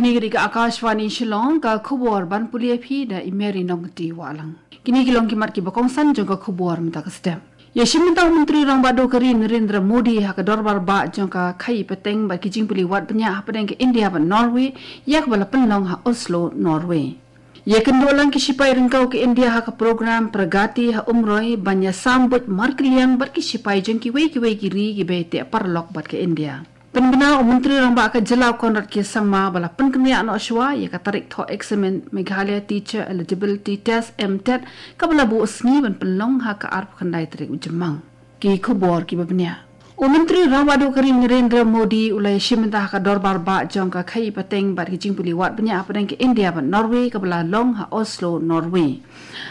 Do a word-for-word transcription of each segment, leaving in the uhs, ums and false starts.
Kane ka dei ka Akashvani Shillong, ka khubor ban pule ïa phi da i Mary Nongkti Wahlang. Kine ki long ki mat kiba kongsan jong ka khubor mynta ka step. Ïashim bynta u Myntri Rangbah Duh ka ri Narendra Modi ha ka dorbar bah jong ka khaïi pateng bad ki jingpule wad bniah hapdeng ka India bad Norway, ïa kaba la pynlong ha Oslo, Norway. Ïakynduh lang ki shipai ryngkew ka India ha ka program Pragati ha Umroi ban ïasam buit markylliang bad ki shipai jong kiwei kiwei ki ri kiba ïateh paralok bad ka India. Pynbna u Myntri Rangbah ka jylla u Conrad K Sangma ba la pynkynriah noh shuwa ïa ka tarik thoh eksamin Meghalaya Teacher Eligibility Test, MTET, kaba la buh sngi ban pynlong ha ka arphew khyndai tarik u Jymmang. Ki khubor kiba bniah. U Myntri Rangbah Duh ka ri Narendra Modi u la ïashim bynta ha ka dorbar bah jong ka khaïi pateng bad ki jingpule wad bniah hapdeng ka India bad Norway kaba la long ha Oslo, Norway.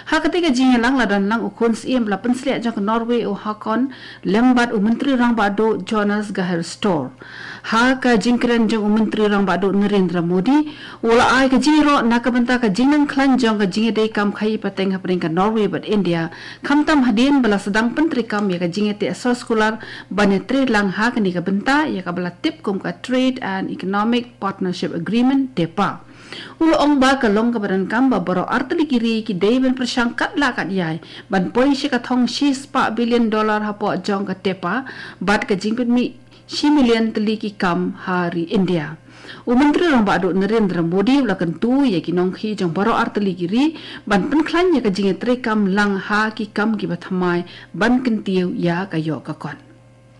Ha katei ka jingïalang la don lang u khun syiem ba la pynsleh jong ka Norway u Haakon lem bad u Myntri Rangbah Duh Jonas Gahr Store. Ha ka jingkren jong u Myntri Rangbah Duh Narendra Modi u la ai ka jingïaroh na ka bynta ka jingnang khlaiñ jong ka jingïadei kam khaïi pateng hapdeng ka Norway bad India, khamtam hadien ba la sdang pyntreikam ïa ka jingïateh soskular ban ïatreilang ha kane ka bynta ïa kaba la tip kum ka Trade and Economic Partnership Agreement, TEPA. U la ong ba ka long kaba donkam ba baroh artylli ki ri ki dei ban pyrshang katba lah katba ïai ban poi sha ka thong shispah billion dollar hapoh jong ka TEPA bad ka jingpynmih shi million tylli ki kam ha ri India. U Myntri Rangbah Duh Narendra Modi u la kyntu ïa ki nongkhaïi jong baroh artylli ki ri ban pynkhlaiñ ïa ka jingïatreikam lang ha ki kam kiba thymmai ban kyntiew ïa ka ïoh ka kot.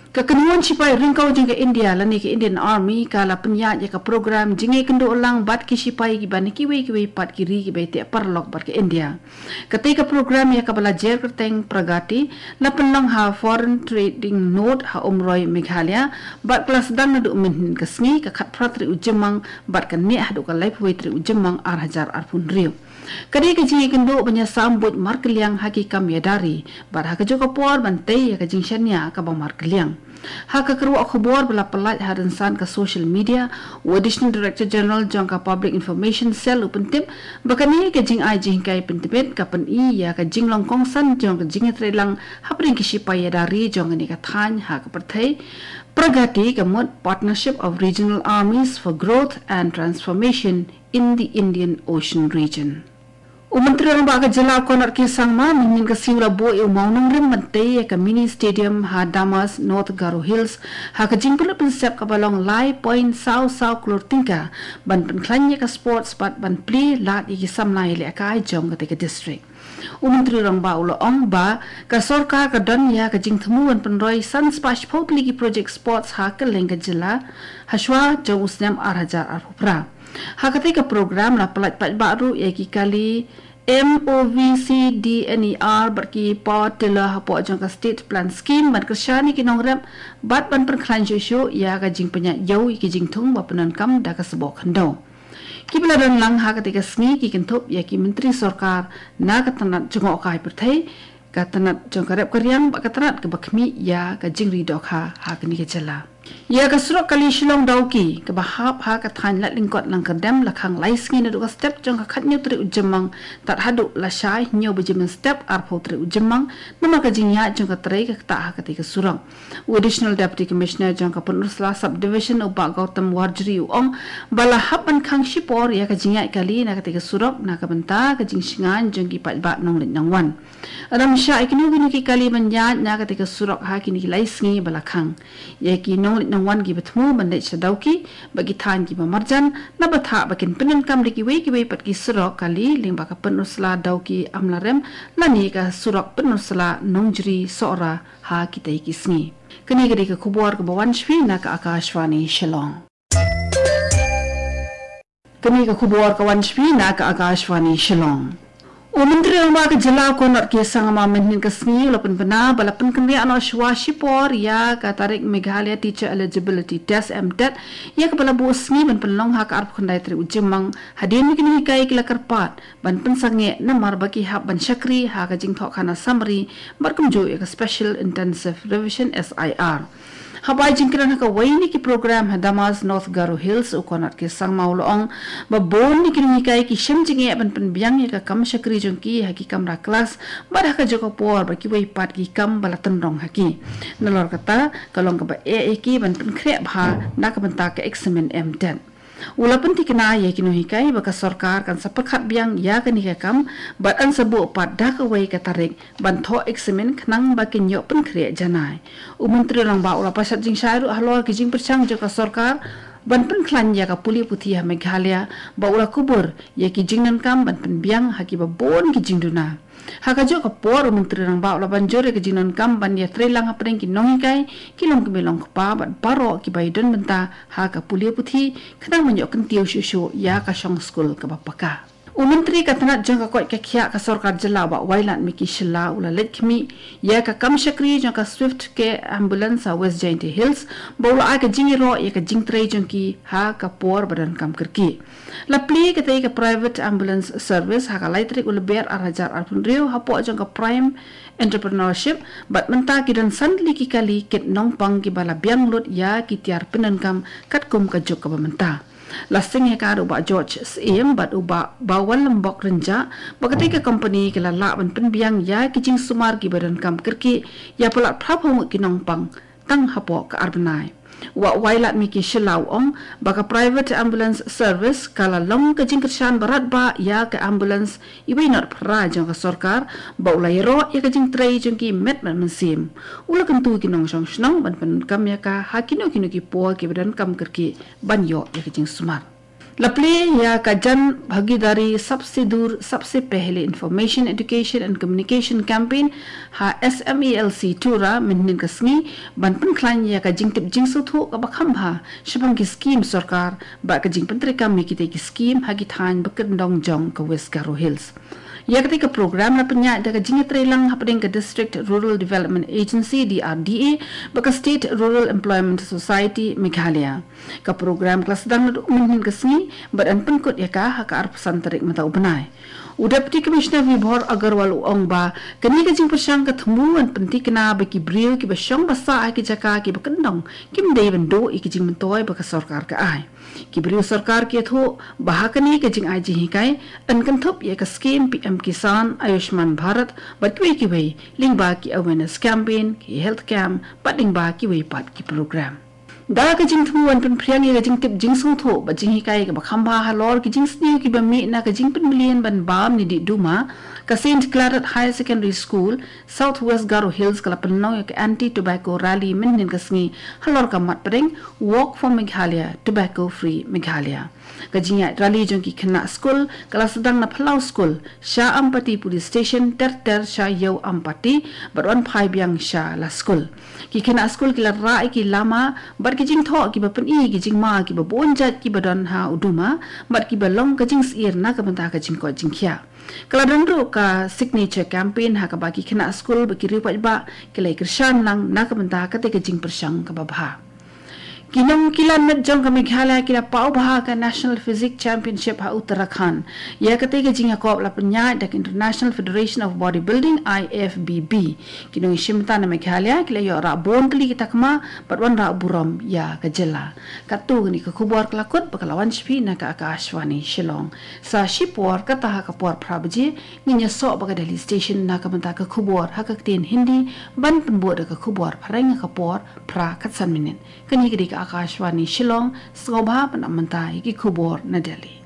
Ka kynhun shipai ryngkew jong ka India lane ka Indian Army ka la pynïaid ïa ka program jingïakynduh lang bad ki shipai kiba na kiwei kiwei pat ki ri kiba ïateh paralok bad ka India. Katei ka program ïa kaba la jer kyrteng Pragati la pynlong ha Foreign Trading Node ha Umroi, Meghalaya, bad ka la sdang naduh mynhynnin ka sngi, ka khatphra tarik u Jymmang bad ka neh haduh ka laiphew wei tarik u Jymmang ar hajar arphew hynriew. Ka dei ka jingïakynduh ban ïasam buit markylliang ha ki kam ïada ri bad ha kajuh ka por ban tei ïa ka jingshaniah kaba markylliang. Ha ka kyrwoh khubor ba la pyllait ha rynsan ka social media, u Additional Director General jong ka Public Information Cell u pyntip ba kane ka jingai jinghikai pyntbit ka pyni ïa ka jinglong kongsan jong ka jingïatreilang hapdeng ki shipai ïada ri jong kane ka thaiñ ha ka pyrthei. Pragati ka mut Partnership of Regional Armies for Growth and Transformation in the Indian Ocean Region. U Myntri Rangbah ka jylla u Conrad K Sangma mynhynnin ka sngi u la buh ïa u mawnongrim ban tei ïa ka mini stadium ha Damas, North Garo Hills, ha ka jingpynlut pynsep kaba long lai point saw saw klur tyngka ban pynkhlaiñ ïa ka sports bad ban plie lad ïa ki samla ïalehkai jong katei ka district. U Myntri Rangbah u la ong ba ka sorkar ka don ïa ka jingthmu ban pynroi san spah shiphew tylli ki project sports ha kylleng ka jylla ha shuwa jong u snem ar hajar arphew phra. Ha katei ka program la pyllait paidbah ruh ïa ki kali M O V C D N E R bad ki power tiller hapoh jong ka State Plan Scheme ban kyrshan ïa ki nongrep bad ban pynkhlaiñ shuh shuh ïa ka jingpynïaid ïew ïa ki jingthung ba pyndonkam da ka sboh khyndew. Kiba la don lang ha katei ka sngi ki kynthup ïa ki myntri sorkar na ka tnat jngohkai pyrthei, ka tnat jong ka rep ka riang bad ka tnat kaba khmih ïa ka jingri dohkha ha kane ka jylla. Ïa ka surok kali Shillong Dawki kaba hap ha ka thaiñ Latlyngkot Langkyrdem la khang lai sngi naduh ka step jong ka khathynñiew tarik u Jymmang tad haduh lashai hynñiew baje mynstep arphew tarik u Jymmang namar ka jingïaid jong ka trei ka ktah ha katei ka surok. U Additional Deputy Commissioner jong ka Pynursla Subdivision u Bah Gautam Warjri u ong ba la hap ban khang shipor ïa ka jingïaid kali na katei ka surok na ka bynta ka jingshngaiñ jong ki paidbah nongleit nongwan. Ym shah ïa kino kino ki kali ban ïaid na katei ka surok ha kine ki lai sngi ba la khang. Ïa ki nongleit nongwan kiba thmu ban leit sha Dawki bad ki thaiñ kiba marjan naba thah ba kin pyndonkam da kiwei kiwei pat ki surok kali lyngba ka Pynursla Dawki Amlarem lane ka surok Pynursla Nongjri Sohra ha kitei ki sngi. Kane ka dei ka khubor kaba wan sha phi na ka Akashvani Shillong. Kane ka khubor ka wan sha phi na ka Akashvani Shillong. U Myntri Rangbah ka jylla u Conrad K Sangma mynhynnin ka sngi u la pynbna ba la pynkynriah noh shuwa shipor ïa ka tarik Meghalaya Teacher Eligibility Test, MTET, ïa kaba la buh sngi ban pynlong ha ka arphew khyndai tarik u Jymmang hadien ba ki nonghikai ki la kyrpad ban pynsangeh namar ba ki hap ban shakri ha ka jingthoh khana summary bad kumjuh ïa ka Special Intensive Revision, SIR. Haba ai jingkren ha kawei na ki program ha Damas, North Garo Hills, u Conrad K Sangma u la ong ba bun na ki nonghikai ki shem jingeh ban pynbiang ïa ka kam shakri jong ki ha ki kamra klas bad ha kajuh ka por bad kiwei pat ki kam ba la tynrong ha ki. Nalor kata ka long kaba eh ïa ki ban pynkhreh bha na ka bynta ka eksamin MTET. U la pynthikna ïa ki nonghikai ba ka sorkar kan sa pyrkhat biang ïa kane ka kam bad yn sa buh pat da kawei ka tarik ban thoh eksamin khnang ba kin ïoh pynkhreh janai. U Myntri Rangbah u la pashat jingshai ruh halor ki jingpyrshang jong ka sorkar ban pynkhlaiñ ïa ka pule puthi ha Meghalaya, bad u la kubur ïa ki jingdonkam ban pynbiang ha kiba bun ki jingduna. Ha kajuh ka por, u Myntri Rangbah u la ban jur ïa ka jingdonkam ban ïatreilang hapdeng ki nonghikai, ki longkmie longkpa bad baroh kiba ïadon bynta ha ka pule puthi, khnang ban ïoh kyntiew shuh shuh ïa ka shong skul kaba paka. U Myntri ka tnat jong ka koit ka khiah ka sorkar jylla, Bah Wailadmiki Shylla, u la leit khmih ïa ka kam shakri jong ka Swift Care Ambulance ha West Jaintia Hills, bad u la ai ka jingïaroh ïa ka jingtrei jong ki ha ka por ba donkam kyrkieh. La plie katei ka private ambulance service ha ka lai tarik u Lber ar hajar arphew hynriew hapoh jong ka Prime Entrepreneurship, bad mynta ki don san tylli ki kali kit nongpang kiba la biang lut ïa ki tiar pyndonkam katkum ka juk kaba mynta. La seng ïa ka da u Bah George Syiem bad u Bah Bawalambok Rynjah, ba katei ka company ka la lah ban pynbiang ïa ki jingsumar kiba donkam kyrkieh ïa palat phra phew ngut ki nongpang tang hapoh ka ar bnai. U Bah Wailadmiki Shylla u ong ba ka private ambulance service ka la long ka jingkyrshan ba radbah ïa ka ambulance iwei not phra jong ka sorkar, bad u la ïaroh ïa ka jingtrei jong ki met bad mynsiem. U la kyntu ki nongshong shnong ban pyndonkam ïa ka ha kino kino ki por kiba donkam kyrkieh ban ïoh ïa ka jingsumar. La plie ïa ka Jan Bhagidari Sabse Dur Sabse Pehle Information, Education and Communication Campaign ha S M E L C Tura mynhynnin ka sngi ban pynkhlaiñ ïa ka jingtip jingsngewthuh kaba kham bha shaphang ki skim sorkar bad ka jingpyntreikam ïa kitei ki skim ha ki thaiñ ba kyndong jong ka West Garo Hills. Ïa katei ka program la pynïaid da ka jingïatreilang hapdeng ka District Rural Development Agency, D R D A, bad ka State Rural Employment Society Meghalaya. Ka program ka la sdang naduh mynhynnin ka sngi bad yn pynkut ïa ka ha ka arphew san tarik mynta u bnai. U Deputy Commissioner Vibhor Agarwal u ong ba kane ka jingpyrshang ka thmu ban pynthikna ba ki briew kiba shong ba sah ha ki jaka kiba kyndong kim dei ban duh ïa ki jingmyntoi ba ka sorkar ka ai. Ki briew sorkar ki ïathuh ba ha kane ka jingai jinghikai yn kynthup ïa ka skim P M Kisan, Ayushman Bharat bad kiwei kiwei, lyngba ki awareness campaign, ki health camp bad lyngba kiwei pat ki program. Da ka jingthmu ban pynphriang ïa ka jingtip jingsngewthuh bad jinghikai kaba kham bha halor ki jingsniew kiba mih na ka jingpynmlien ban bam ne dih duma, ka Saint Claret Higher Secondary School, South West Garo Hills ka la pynlong ïa ka Anti Tobacco Rally mynhynnin ka sngi halor ka mat pdeng Walk for Meghalaya, Tobacco Free Meghalaya. Ka jingïaid rally jong ki khynnah skul ka la sdang na Phyllaw School, sha Ampati Police Station, ter ter sha Ïew Ampati, bad wan phai biang sha la skul. Ki khynnah skul ki la rah ïa ki lama bad ki jingthoh kiba pyni ïa ki jingma kiba bun jait kiba don ha u duma bad kiba long ka jingsyier na ka bynta ka jingkoit jingkhiah. Ka la don ruh ka signature campaign ha kaba ki khynnah skul bad ki riewpaidbah ki la ïakyrshan lang na ka bynta katei ka jingpyrshang kaba bha. Ki nongkilan met jong ka Meghalaya ki la paw bha ha ka National Physique Championship ha Uttarakhand. Ïa katei ka jingïakop la pynïaid da ka International Federation of Bodybuilding, I F B B. Ki nongïashim bynta na Meghalaya ki la ïoh rah bun tylli ki takma bad wanrah burom ïa ka jylla. Katto katne ka khubor ka la kut bad ka la wan sha phi na ka Akashvani Shillong. Sa shipor kata ha ka por phra baje ngin ïasoh bad ka Delhi Station na ka bynta ka khubor ha ka ktien Hindi, ban pynbud da ka khubor phareng ha ka por phra khatsan minit. Kane ka dei ka Akashvani Shillong, sngewbha ban ap mynta ïa ki khubor na Delhi.